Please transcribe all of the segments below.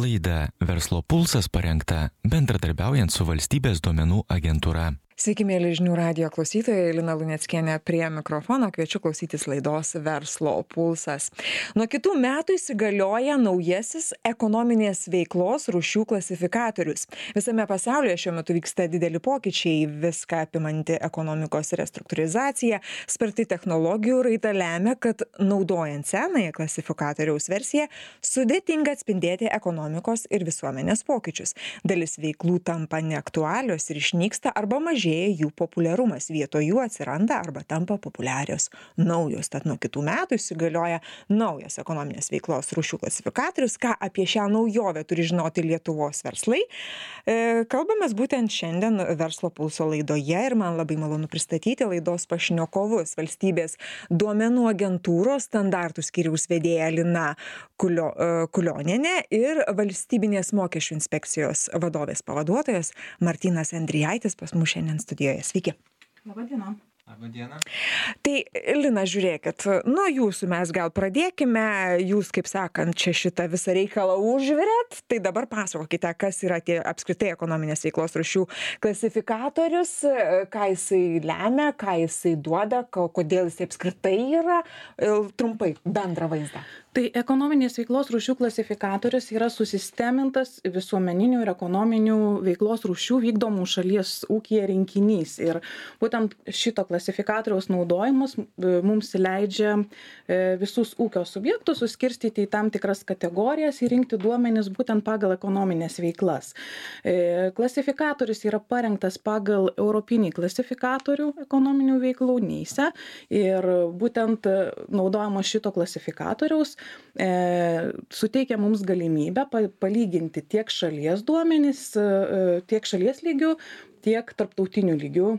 Laida Verslo pulsas parengta bendradarbiaujant su Valstybės duomenų agentūra. Sveiki, mėly žinių radijo klausytojai, Lina Luneckienė prie mikrofono, kviečiu klausytis laidos Verslo pulsas. Nuo kitų metų įsigalioja naujasis ekonominės veiklos rūšių klasifikatorius. Visame pasaulyje šiuo metu vyksta dideli pokyčiai, viską apimanti ekonomikos restruktūrizacija, sparti technologijų raida lemia, kad naudojant senąją klasifikatoriaus versiją sudėtinga atspindėti ekonomikos ir visuomenės pokyčius. Dalis veiklų tampa neaktualios ir išnyksta arba mažėja jų populiarumas, vietoj jų atsiranda arba tampa populiarios naujos. Tad nuo kitų metų įsigalioja naujas ekonominės veiklos rūšių klasifikatorius. Ką apie šią naujovę turi žinoti Lietuvos verslai? Kalbamės būtent šiandien Verslo pulso laidoje ir man labai malonu pristatyti laidos pašnekovus. Valstybės duomenų agentūros standartų skyriaus vedėja Lina Kulionienė ir Valstybinės mokesčių inspekcijos vadovės pavaduotojas Martynas Endrijaitis pas mus šiandien studijoje. Sveiki. Labadiena. Labadiena. Tai, Lina, žiūrėkit, nuo jūsų mes gal pradėkime. Jūs, kaip sakant, čia šitą visą reikalą užvirėt. Tai dabar pasakokite, kas yra tie apskritai ekonominės veiklos rūšių klasifikatorius, ką jisai lemia, ką jisai duoda, kodėl jisai apskritai yra. Trumpai, bendrą vaizdą. Tai ekonominės veiklos rūšių klasifikatorius yra susistemintas visuomeninių ir ekonominių veiklos rūšių vykdomų šalies ūkyje rinkinys. Ir būtent šito klasifikatoriaus naudojimas mums leidžia visus ūkio subjektus suskirstyti į tam tikras kategorijas ir rinkti duomenis būtent pagal ekonominės veiklas. Klasifikatorius yra parengtas pagal Europinį klasifikatorių ekonominių veiklų NISA ir būtent naudojimo šito klasifikatoriaus suteikia mums galimybę palyginti tiek šalies duomenis, tiek šalies lygių, tiek tarptautinių lygių,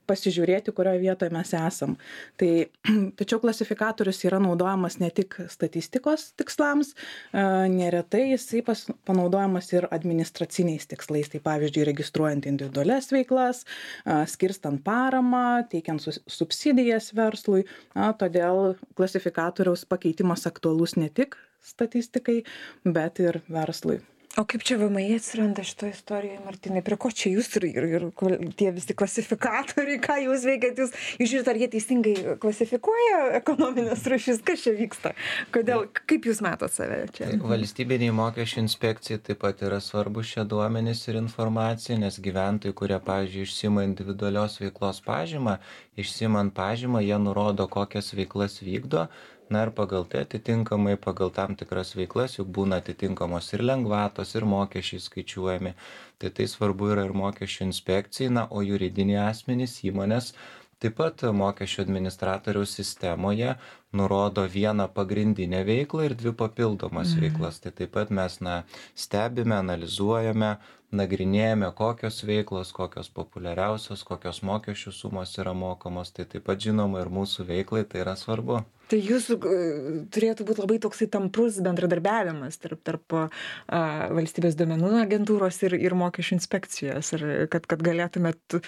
pasižiūrėti, kurioje vietoje mes esam. Tačiau klasifikatorius yra naudojamas ne tik statistikos tikslams, neretai jisai panaudojamas ir administraciniais tikslais. Tai pavyzdžiui, registruojant individualias veiklas, skirstant paramą, teikiant subsidijas verslui. Todėl klasifikatoriaus pakeitimas aktualus ne tik statistikai, bet ir verslui. O kaip čia VMI atsiranda šitoje istorijoje, Martynai? Prie ko čia jūs ir tie visi klasifikatoriai, ką jūs veikiat? Jūs žiūrite, ar jie teisingai klasifikuoja ekonominės rūšis? Kas čia vyksta? Kodėl? Kaip jūs matot save čia? Valstybiniai mokesčių inspekcijai taip pat yra svarbu šie duomenys ir informacija, nes gyventojai, kurie, pavyzdžiui, išsima individualios veiklos pažymą, išsimant pažymą, jie nurodo, kokias veiklas vykdo. Na ir pagal tai atitinkamai, pagal tam tikras veiklas, juk būna atitinkamos ir lengvatos, ir mokesčiai skaičiuojami. Tai svarbu yra ir mokesčių inspekcijai, o juridiniai asmenys, įmonės, taip pat mokesčių administratoriaus sistemoje nurodo vieną pagrindinę veiklą ir dvi papildomas veiklas. Tai taip pat mes stebime, analizuojame, nagrinėjame, kokios veiklos, kokios populiariausios, kokios mokesčių sumos yra mokamos. Tai taip pat žinoma ir mūsų veiklai tai yra svarbu. Tai jūsų turėtų būti labai toksai tamprus bendradarbiavimas tarp Valstybės duomenų agentūros ir mokesčių inspekcijos, ir kad galėtumėt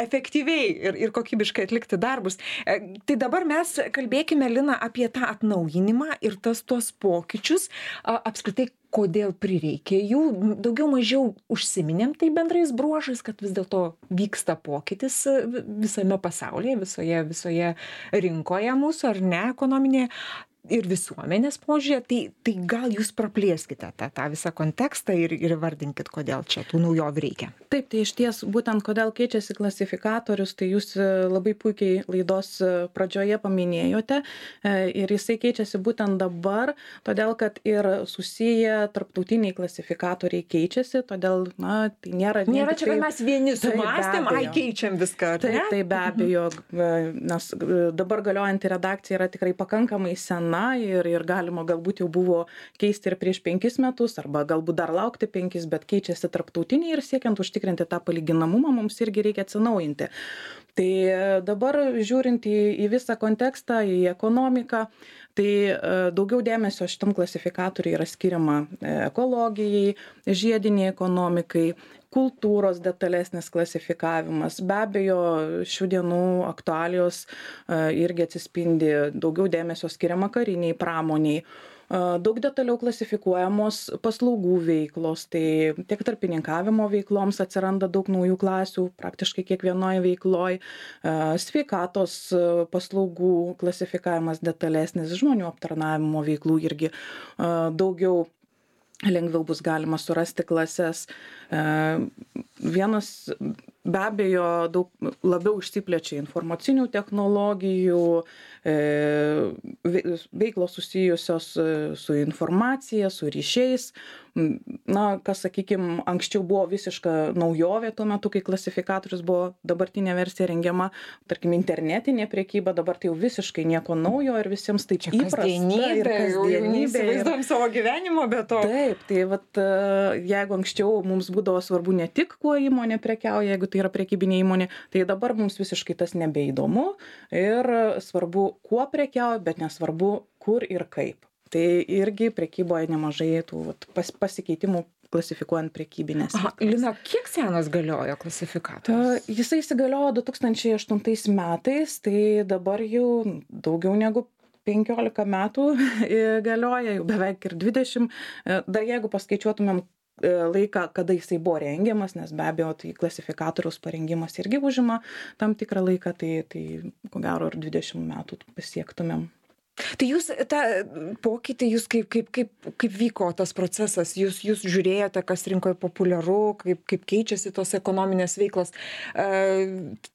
efektyviai ir kokybiškai atlikti darbus. Tai dabar mes kalbėkime, Lina, apie tą atnaujinimą ir tuos pokyčius. Apskritai, kodėl prireikė jų, daugiau mažiau užsiminėm tai bendrais bruožais, kad vis dėlto vyksta pokytis visame pasaulyje, visoje rinkoje mūsų, ar ne, ekonominėje ir visuomenės požiūrė. Tai gal jūs praplėskite tą visą kontekstą ir vardinkit, kodėl čia tų naujovių reikia. Taip, tai iš ties būtent kodėl keičiasi klasifikatorius, tai jūs labai puikiai laidos pradžioje paminėjote ir jisai keičiasi būtent dabar, todėl kad ir susiję tarptautiniai klasifikatoriai keičiasi, todėl tai nėra čia, kad mes vieni sumąstėm, keičiam viską. Tai be abejo, nes dabar galiojanti redakcija yra tikrai pakankamai sena ir galima galbūt jau buvo keisti ir prieš 5 metus, arba galbūt dar laukti 5, bet keičiasi tarptautiniai ir siekiant užtikrinti tą palyginamumą mums irgi reikia atsinaujinti. Tai dabar žiūrint į visą kontekstą, į ekonomiką, tai daugiau dėmesio šitam klasifikatoriui yra skiriama ekologijai, žiediniai ekonomikai, kultūros detalesnis klasifikavimas. Be abejo, šių dienų aktualijos irgi atsispindi, daugiau dėmesio skiriama kariniai pramoniai. Daug detaliau klasifikuojamos paslaugų veiklos, tai tiek tarpininkavimo veikloms atsiranda daug naujų klasių, praktiškai kiekvienoje veikloje, sveikatos paslaugų klasifikavimas detalesnis, žmonių aptarnavimo veiklų irgi daugiau lengviau bus galima surasti klases. Vienas be abejo daug labiau išsiplečia informacinių technologijų, veiklos susijusios su informacija, su ryšiais. Na, kas, sakykime, anksčiau buvo visiška naujovė tuo metu, kai klasifikatorius buvo dabartinė versija rengiama, tarkim, internetinė prekyba, dabar tai jau visiškai nieko naujo ir visiems taip įprasta. Kasdienybė, įsivaizduojam savo gyvenimo, bet to. Taip, tai vat, jeigu anksčiau mums būdavo svarbu ne tik, kuo įmonė prekiauja, jeigu tai yra prekybinė įmonė, tai dabar mums visiškai tas nebeįdomu ir svarbu, kuo prekiauja, bet nesvarbu, kur ir kaip. Tai irgi prekyboje nemažai tų pasikeitimų klasifikuojant prekybinės. Lina, kiek senas galiojo klasifikatorius? Jisai įsigaliojo 2008 metais, tai dabar jau daugiau negu 15 metų galioja, jau beveik ir 20. Dar jeigu paskaičiuotumėm laiką, kada jisai buvo rengiamas, nes be abejo, tai klasifikatoriaus parengimas irgi užima tam tikrą laiką, tai ko gero ir 20 metų pasiektumėm. Tai jūs tą pokytį, jūs kaip vyko tas procesas, jūs žiūrėjote, kas rinkoje populiaru, kaip keičiasi tos ekonominės veiklos,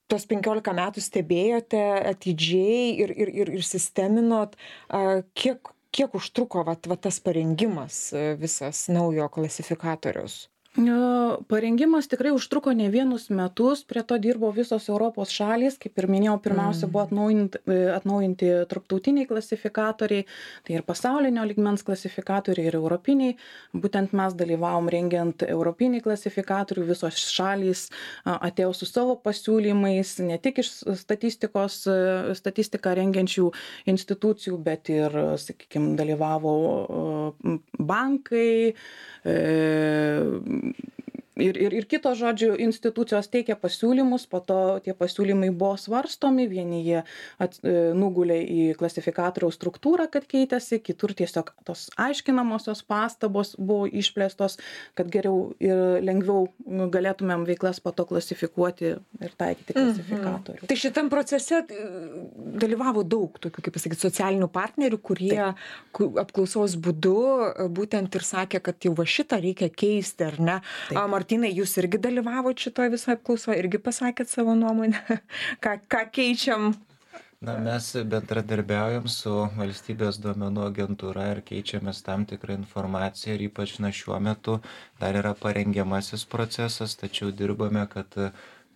tos 15 metų stebėjote atidžiai ir sisteminot, kiek užtruko tas parengimas visas naujo klasifikatoriaus? Parengimas tikrai užtruko ne vienus metus, prie to dirbo visos Europos šalys, kaip ir minėjau, pirmiausia buvo atnaujinti tarptautiniai klasifikatoriai, tai ir pasaulinio lygmens klasifikatoriai, ir europiniai. Būtent mes dalyvavom rengiant europinį klasifikatorių, visos šalys atėjo su savo pasiūlymais, ne tik iš statistiką rengiančių institucijų, bet ir, sakykime, dalyvavo bankai, ir kitos, žodžiu, institucijos teikia pasiūlymus, po to tie pasiūlymai buvo svarstomi, vieni jie nugulė į klasifikatoriaus struktūrą, kad keitėsi, kitur tiesiog tos aiškinamosios pastabos buvo išplėstos, kad geriau ir lengviau galėtumėm veiklas po to klasifikuoti ir taikyti klasifikatorių. Tai šitam procese dalyvavo daug tokių, kaip pasakyti, socialinių partnerių, kurie apklausos būdu būtent ir sakė, kad jau va šitą reikia keisti, ar ne? Martynai, jūs irgi dalyvavote šitoje visoje apklausoje, irgi pasakėt savo nuomonę, ką keičiam? Na, mes bendradarbiaujam su valstybės duomenų agentūra ir keičiamės tam tikrą informaciją ir ypač šiuo metu dar yra parengiamasis procesas, tačiau dirbame, kad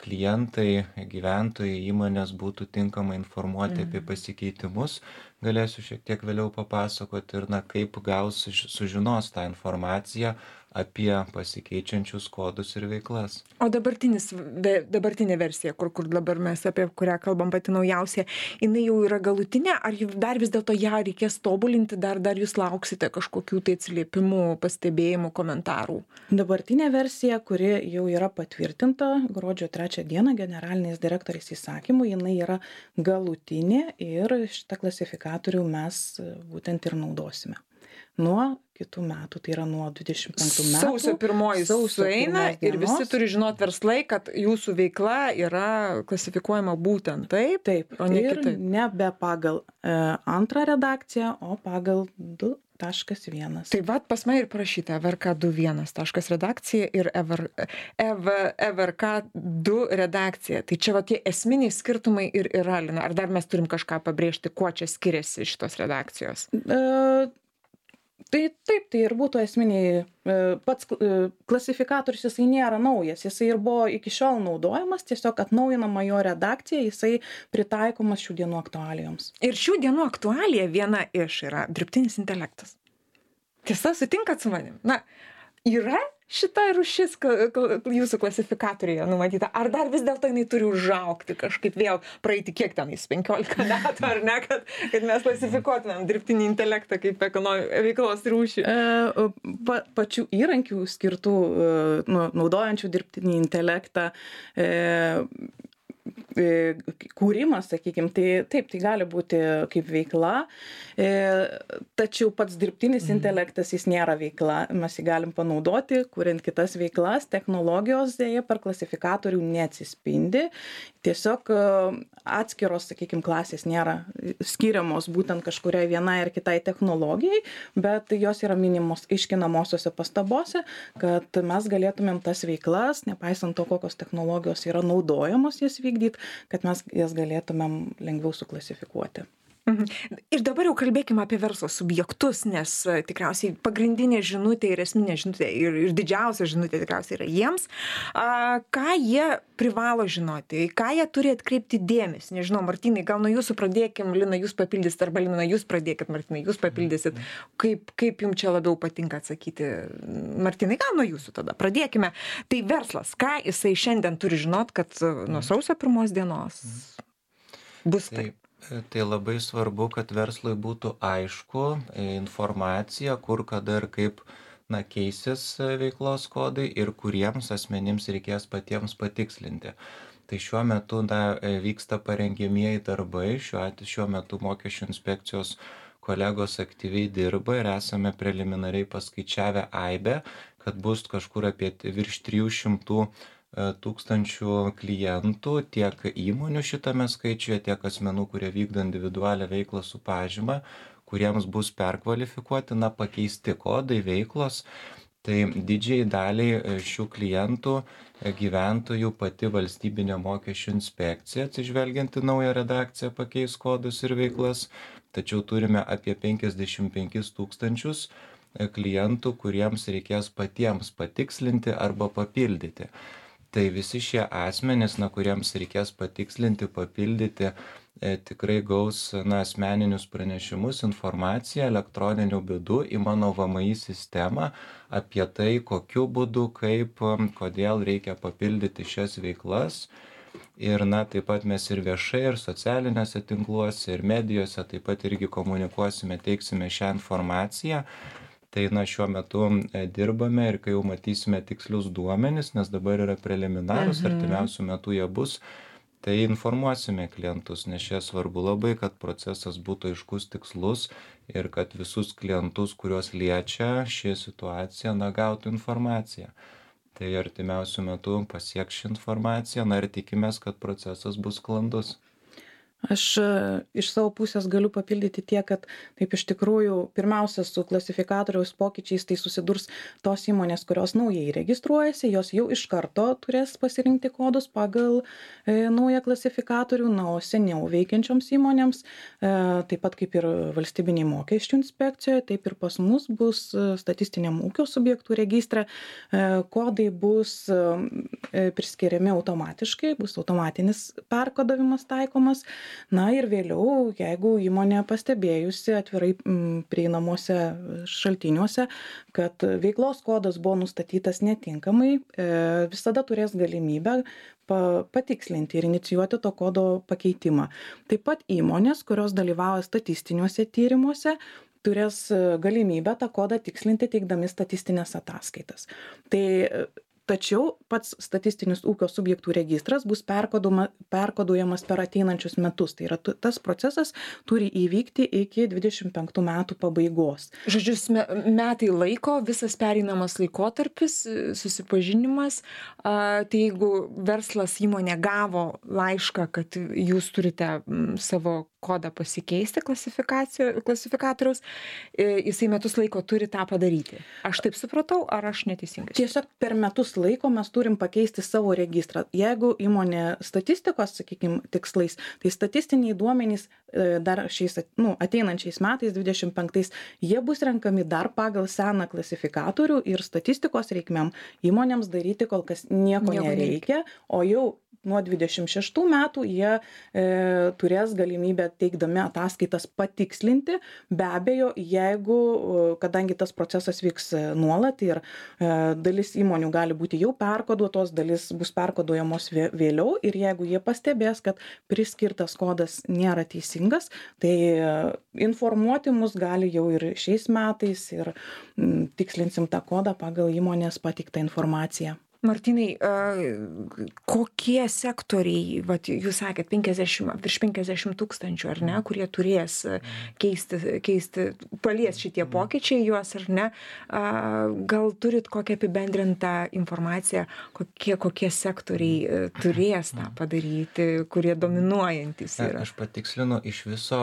klientai, gyventojai, įmonės būtų tinkamai informuoti apie pasikeitimus. Galėsiu šiek tiek vėliau papasakoti ir kaip sužinos tą informaciją apie pasikeičiančius kodus ir veiklas. O dabartinė versija, kur dabar mes apie kurią kalbam pati naujausia, jinai jau yra galutinė, ar dar vis dėlto ją reikės tobulinti, dar jūs lauksite kažkokių tai atsiliepimų, pastebėjimų, komentarų? Dabartinė versija, kuri jau yra patvirtinta gruodžio 3 dieną generaliniais direktoriais įsakymu, jinai yra galutinė ir šitą klasifikatorių mes būtent ir naudosime. Nuo kitų metų, tai yra nuo 25 metų. Sausio 1 sueina ir visi turi žinot verslai, kad jūsų veikla yra klasifikuojama būtent taip, o ne kitaip. Nebe pagal antrą redakciją, o pagal 2.1. Tai pas mane ir parašyta EVRK 2.1 redakcija ir EVRK 2 redakcija. Tai čia tie esminiai skirtumai ir yra, Lina. Ar dar mes turim kažką pabrėžti, kuo čia skiriasi šitos redakcijos? Tai taip, tai ir būtų esminiai, pats klasifikatorius jisai nėra naujas, jisai ir buvo iki šiol naudojamas, tiesiog atnaujinama jo redakcija, jisai pritaikomas šių dienų aktualijoms. Ir šių dienų aktualija viena iš yra dirbtinis intelektas. Tiesa, sutinkat su manim? Na, yra šita rūšis jūsų klasifikatoriuje numatyta, ar dar vis dėlto jinai turi užaugti kažkaip vėl praeiti kiek tenais 15 metų, ar ne, kad mes klasifikuotumėm dirbtinį intelektą kaip veiklos rūšį? Pačių įrankių skirtų, naudojančių dirbtinį intelektą, kūrimas, sakykime, tai taip, tai gali būti kaip veikla, tačiau pats dirbtinis intelektas jis nėra veikla, mes jį galim panaudoti, kuriant kitas veiklas, technologijos dėja per klasifikatorių neatsispindi, tiesiog atskiros, sakykime, klasės nėra skiriamos būtent kažkuriai vienai ar kitai technologijai, bet jos yra minimos aiškinamosiose pastabose, kad mes galėtumėm tas veiklas, nepaisant to, kokios technologijos yra naudojamos jas vykdyti, kad mes jas galėtumėm lengviau suklasifikuoti. Ir dabar jau kalbėkime apie verslo subjektus, nes tikriausiai pagrindinė žinutė ir esminė žinutė ir didžiausia žinutė tikriausiai yra jiems. Ką jie privalo žinoti, ką jie turi atkreipti dėmesį? Nežinau, Martynai, gal nuo jūsų pradėkim, Lina, jūs papildysit, arba Lina, jūs pradėkit, Martynai, jūs papildysit. Kaip jums čia labiau patinka atsakyti? Martynai, gal nuo jūsų tada pradėkime. Tai verslas, ką jisai šiandien turi žinot, kad nuo sausio 1 dienos bus taip? Tai labai svarbu, kad verslui būtų aišku informacija, kur, kada ir kaip keisis veiklos kodai ir kuriems asmenims reikės patiems patikslinti. Tai šiuo metu vyksta parengiamieji darbai, šiuo metu mokesčių inspekcijos kolegos aktyviai dirba ir esame preliminariai paskaičiavę aibę, kad bus kažkur apie virš 300 tūkstančių klientų, tiek įmonių šitame skaičiuje, tiek asmenų, kurie vykdo individualią veiklą su pažyma, kuriems bus perkvalifikuoti, pakeisti kodai veiklos. Tai didžiai daliai šių klientų gyventojų pati valstybinė mokesčių inspekcija, atsižvelgiant į naują redakciją, pakeis kodus ir veiklas, tačiau turime apie 55 tūkstančius klientų, kuriems reikės patiems patikslinti arba papildyti. Tai visi šie asmenys, kuriems reikės patikslinti, papildyti, tikrai gaus asmeninius pranešimus, informaciją elektroniniu būdu į mano VMI sistemą apie tai, kokiu būdu, kaip, kodėl reikia papildyti šias veiklas. Ir taip pat mes ir viešai, ir socialiniuose tinkluose, ir medijose taip pat irgi komunikuosime, teiksime šią informaciją. Tai šiuo metu dirbame ir kai jau matysime tikslius duomenis, nes dabar yra preliminarus, artimiausių metų jie bus, tai informuosime klientus, nes čia svarbu labai, kad procesas būtų aiškus, tikslus ir kad visus klientus, kuriuos liečia ši situacija, gautų informaciją. Tai artimiausių metų pasieks ši informacija, ir tikimės, kad procesas bus sklandus. Aš iš savo pusės galiu papildyti tiek, kad taip iš tikrųjų pirmiausia su klasifikatoriaus pokyčiais tai susidurs tos įmonės, kurios naujai registruojasi, jos jau iš karto turės pasirinkti kodus pagal naują klasifikatorių, o seniau veikiančioms įmonėms, taip pat kaip ir valstybiniai mokesčių inspekcijoje, taip ir pas mus bus statistiniam ūkio subjektų registre, kodai bus priskiriami automatiškai, bus automatinis perkodavimas taikomas. Ir vėliau, jeigu įmonė pastebėjusi atvirai prieinamuose šaltiniuose, kad veiklos kodas buvo nustatytas netinkamai, visada turės galimybę patikslinti ir inicijuoti to kodo pakeitimą. Taip pat įmonės, kurios dalyvauja statistiniuose tyrimuose, turės galimybę tą kodą tikslinti teikdami statistinės ataskaitas. Tačiau pats statistinis ūkio subjektų registras bus perkoduojamas per ateinančius metus. Tai yra tas procesas turi įvykti iki 25 metų pabaigos. Žodžiu, metai laiko, visas pereinamas laikotarpis, susipažinimas. Tai jeigu verslas įmonė gavo laišką, kad jūs turite savo kodą pasikeisti klasifikatoriaus, jisai metus laiko turi tą padaryti. Aš taip supratau, ar aš neteisingai? Tiesiog per metus laiko mes turim pakeisti savo registrą. Jeigu įmonė statistikos, sakykime, tikslais, tai statistiniai duomenys dar šiais ateinančiais metais, 25, jie bus renkami dar pagal seną klasifikatorių ir statistikos reikmėm įmonėms daryti kol kas nieko nereikia, o jau nuo 26 metų jie turės galimybę teikdami ataskaitas patikslinti. Be abejo, kadangi tas procesas vyks nuolat ir dalis įmonių gali būti jau perkoduotos, dalis bus perkoduojamos vėliau ir jeigu jie pastebės, kad priskirtas kodas nėra teisingas, tai informuoti mus gali jau ir šiais metais ir tikslinsim tą kodą pagal įmonės pateiktą informaciją. Martynai, kokie sektoriai, vat, jūs sakėt, virš 50 tūkstančių, ar ne, kurie turės keisti, palies šitie pokyčiai juos, ar ne? Gal turit kokią apibendrintą informaciją, kokie sektoriai turės tą padaryti, kurie dominuojantis yra? Aš patikslinu, iš viso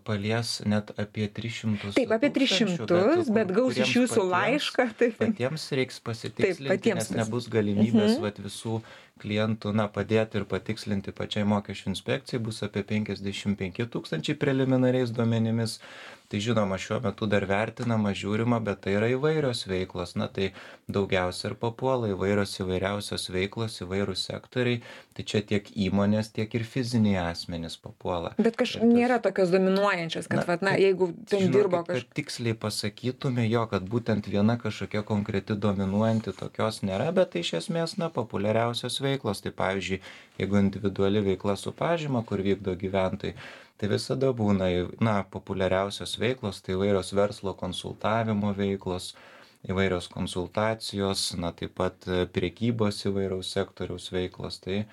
palies net apie 300. Taip, apie 300, bet gaus iš jūsų laišką. Patiems reiks pasitikslinti, nes nebus galimybės visų klientų padėti ir patikslinti pačiai mokesčių inspekcijai, bus apie 55 tūkstančiai preliminariais duomenimis. Tai žinoma, šiuo metu dar vertinama, žiūrima, bet tai yra įvairios veiklos. Tai daugiausia ir papuola įvairiausios veiklos, įvairūs sektoriai. Tai čia tiek įmonės, tiek ir fiziniai asmenys papuola. Bet nėra tokios dominuojančios, kad jeigu ten dirbo kažkas. Kad tiksliai pasakytume kad būtent viena kažkokia konkreti dominuojanti tokios nėra, bet tai iš esmės populiariausios veiklos. Tai pavyzdžiui, jeigu individuali veikla su pažyma, kur vykdo gyventojai, tai visada būna, populiariausios veiklos, tai įvairios verslo konsultavimo veiklos, įvairios konsultacijos, taip pat prekybos įvairiaus sektoriaus veiklos. Tai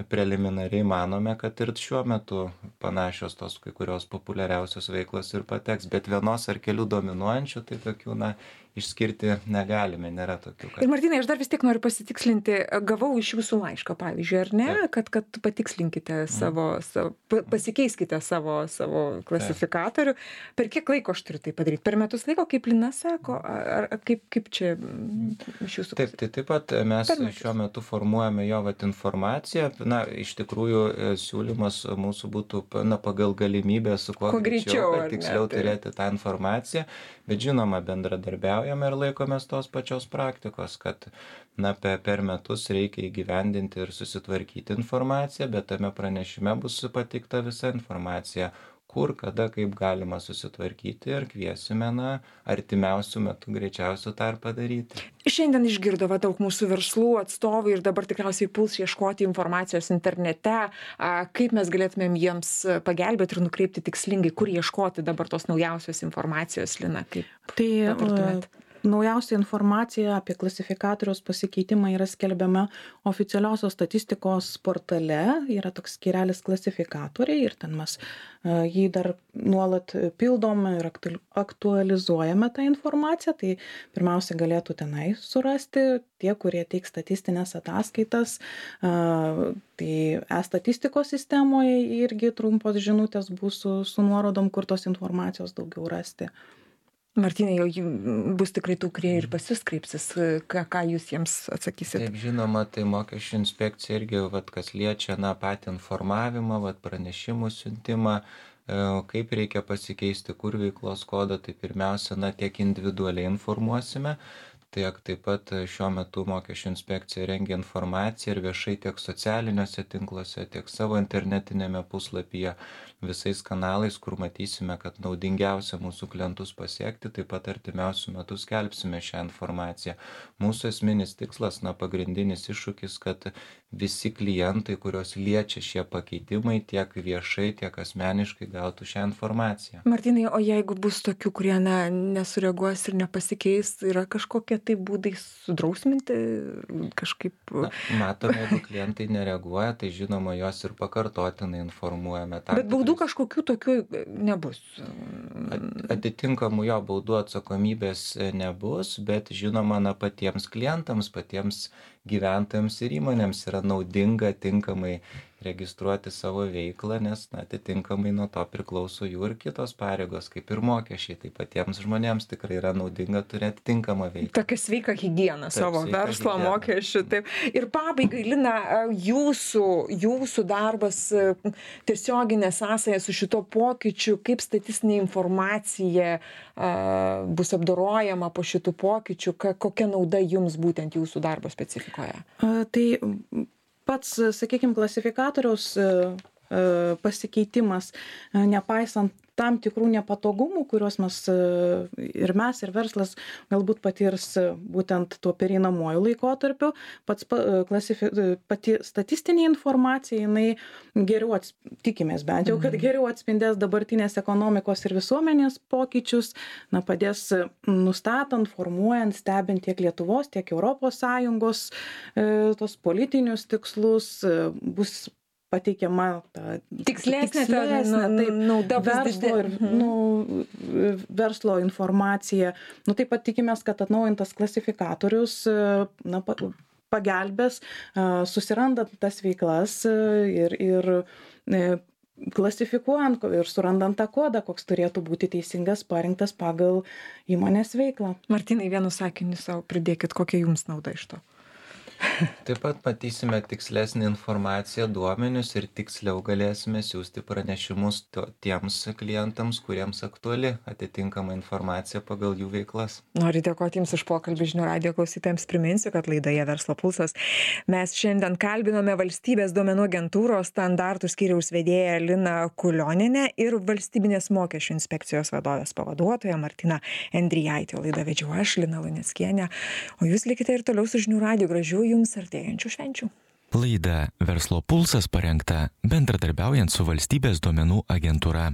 preliminariai manome, kad ir šiuo metu panašios tos kai kurios populiariausios veiklos ir pateks, bet vienos ar kelių dominuojančių, tai tokių, išskirti negalime, nėra tokių. Ir Martynai, aš dar vis tiek noriu pasitikslinti, gavau iš jūsų laišką, pavyzdžiui, ar ne, kad patikslinkite pasikeiskite savo klasifikatorių. Per kiek laiko aš turiu tai padaryti? Per metus laiko, kaip Lina sako, ar kaip čia iš jūsų? Taip pat mes šiuo metu formuojame jo informaciją. Iš tikrųjų, siūlymas mūsų būtų pagal galimybę su kuo greičiau, tiksliau turėti tą informaciją, bet žinoma, bendradarbiaujame ir laikomės tos pačios praktikos, kad per metus reikia įgyvendinti ir susitvarkyti informaciją, bet tame pranešime bus pateikta visa informacija, kur, kada, kaip galima susitvarkyti ir kviesime artimiausių metų greičiausiai tą ir padaryti. Šiandien išgirdo daug mūsų verslų atstovų ir dabar tikriausiai puls ieškoti informacijos internete, kaip mes galėtumėm jiems pagelbėti ir nukreipti tikslingai, kur ieškoti dabar tos naujausios informacijos, Lina, kaip patartumėt? Naujausia informacija apie klasifikatoriaus pasikeitimą yra skelbiama oficialiosios statistikos portale, yra toks skyrelis klasifikatoriai ir ten mes jį dar nuolat pildom ir aktualizuojame tą informaciją, tai pirmiausia galėtų tenai surasti tie, kurie teiks statistinės ataskaitas, tai e-statistikos sistemoje irgi trumpos žinutės bus su nuorodom, kur tos informacijos daugiau rasti. Martynai, jau bus tikrai tų, kurie ir pas jūs kreipsis, ką jūs jiems atsakysit? Taip, žinoma, tai mokesčių inspekcija irgi, kas liečia patį informavimą, pranešimų siuntimą, kaip reikia pasikeisti, kur veiklos kodą, tai pirmiausia, tiek individualiai informuosime, taip pat šiuo metu mokesčių inspekcija rengia informaciją ir viešai tiek socialiniuose tinkluose, tiek savo internetinėme puslapyje, visais kanalais, kur matysime, kad naudingiausia mūsų klientus pasiekti, taip pat artimiausių metų skelbsime šią informaciją. Mūsų esminis tikslas, pagrindinis iššūkis, kad visi klientai, kurios liečia šie pakeitimai, tiek viešai, tiek asmeniškai gautų šią informaciją. Martynai, o jeigu bus tokių, kurie nesureaguos ir nepasikeis, yra kažkokie tai būdai sudrausminti kažkaip? Matome, jeigu klientai nereaguoja, tai žinoma, juos ir pakartotinai informuojame. Bet baudų kažkokių tokių nebus? Atitinkamų baudų atsakomybės nebus, bet žinoma, patiems klientams, patiems gyventojams ir įmonėms yra naudinga tinkamai registruoti savo veiklą, nes atitinkamai nuo to priklauso jų ir kitos pareigos, kaip ir mokesčiai. Tai patiems žmonėms tikrai yra naudinga turėti tinkamą veiklą. Tokia sveika higiena savo verslo mokesčių. Taip. Ir pabaigai, Lina, jūsų darbas, tiesioginė sąsaja su šito pokyčiu, kaip statistinė informacija bus apdorojama po šitų pokyčių, kokia nauda jums būtent jūsų darbo specifikoje? Tai pats, sakykime, klasifikatoriaus pasikeitimas, nepaisant tam tikrų nepatogumų, kuriuos mes ir verslas galbūt patirs būtent tuo pereinamuoju laikotarpiu. Pati statistinė informacija, jinai geriau, tikimės bent jau, kad geriau atspindės dabartinės ekonomikos ir visuomenės pokyčius, padės nustatant, formuojant, stebint tiek Lietuvos, tiek ES tos politinius tikslus, bus pateikiama ta tikslesnė nauda verslo ir verslo informacija. Taip pat tikimės, kad atnaujintas klasifikatorius pagelbės susirandant tas veiklas ir klasifikuojant ir surandant tą kodą, koks turėtų būti teisingas parinktas pagal įmonės veiklą. Martynai, vienu sakiniu savo pridėkit, kokia jums nauda iš to. Taip pat matysime tikslesnį informaciją, duomenis ir tiksliau galėsime siūsti pranešimus tiems klientams, kuriems aktuali atitinkama informacija pagal jų veiklas. Noriu dėkoti Jums už pokalbį. Žinių radijo klausytojams priminsiu, kad laidoje Verslo pulsas mes šiandien kalbinome Valstybės duomenų agentūros standartų skyriaus vedėją Liną Kulionienę ir Valstybinės mokesčių inspekcijos vadovės pavaduotoją Martyną Endrijaitę. Laidą vedžiau aš, Lina Luneckienė, o jūs likite ir toliau su Žinių radiju. Gražių Jums artėjančių švenčių. Laida Verslo pulsas parengta bendradarbiaujant su Valstybės duomenų agentūra.